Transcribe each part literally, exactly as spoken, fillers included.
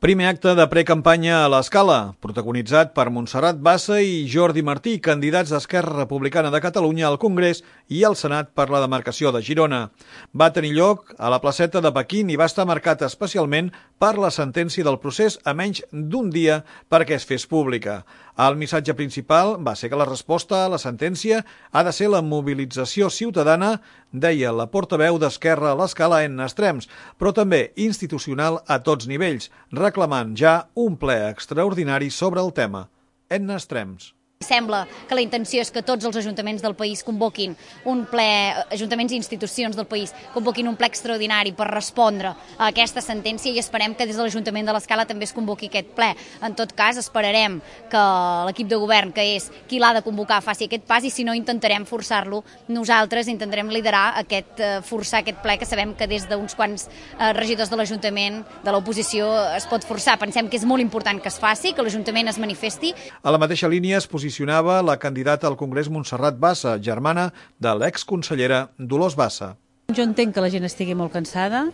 Primer acte de precampanya a l'Escala, protagonitzat per Montserrat Bassa i Jordi Martí, candidats d'Esquerra Republicana de Catalunya al Congrés i al Senat per la demarcació de Girona. Va tenir lloc a la placeta de Pequín i va estar marcat especialment per la sentència del procés a menys d'un dia perquè es fes pública. El missatge principal va ser que la resposta a la sentència ha de ser la mobilització ciutadana, deia la portaveu d'Esquerra a l'Escala en Extrems, però també institucional a tots nivells, reclamant ja un ple extraordinari sobre el tema. Edna Extrems. Sembla que la intenció és que tots els ajuntaments del país convoquin un ple, ajuntaments i institucions del país convoquin un ple extraordinari per respondre a aquesta sentència i esperem que des de l'Ajuntament de l'Escala també es convoqui aquest ple. En tot cas, esperarem que l'equip de govern, que és qui l'ha de convocar, faci aquest pas i si no intentarem forçar-lo nosaltres, intentarem liderar aquest, forçar aquest ple que sabem que des d'uns quants regidors de l'Ajuntament, de l'oposició, es pot forçar. Pensem que és molt important que es faci, que l'Ajuntament es manifesti. A la mateixa línia es posicionava la candidata al Congrés Montserrat Bassa, germana de l'exconsellera Dolors Bassa. Jo entenc que la gent estigui molt cansada,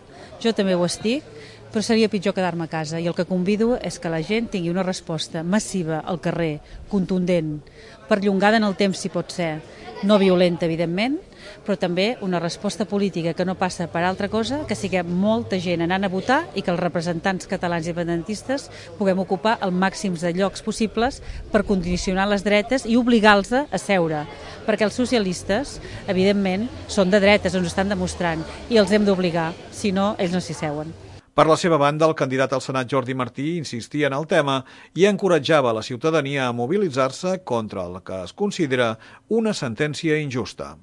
jo també ho estic, però seria pitjor quedar-me a casa i el que convido és que la gent tingui una resposta massiva al carrer, contundent, perllongada en el temps si pot ser, no violenta evidentment, però també una resposta política que no passa per altra cosa que siguem molta gent anant a votar i que els representants catalans independentistes puguem ocupar el màxim de llocs possibles per condicionar les dretes i obligar-los a seure, perquè els socialistes, evidentment, són de dretes, ens ho estan demostrant, i els hem d'obligar, si no, ells no s'hi seuen. Per la seva banda, el candidat al Senat Jordi Martí insistia en el tema i encoratjava la ciutadania a mobilitzar-se contra el que es considera una sentència injusta.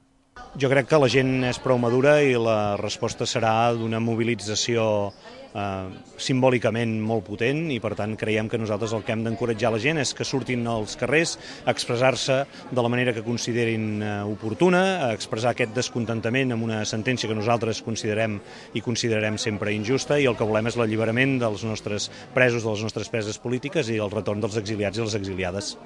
Jo crec que la gent és prou madura i la resposta serà d'una mobilització eh, simbòlicament molt potent i per tant creiem que nosaltres el que hem d'encoratjar la gent és que surtin als carrers a expressar-se de la manera que considerin eh, oportuna, a expressar aquest descontentament amb una sentència que nosaltres considerem i considerarem sempre injusta i el que volem és l'alliberament dels nostres presos, de les nostres preses polítiques i el retorn dels exiliats i les exiliades.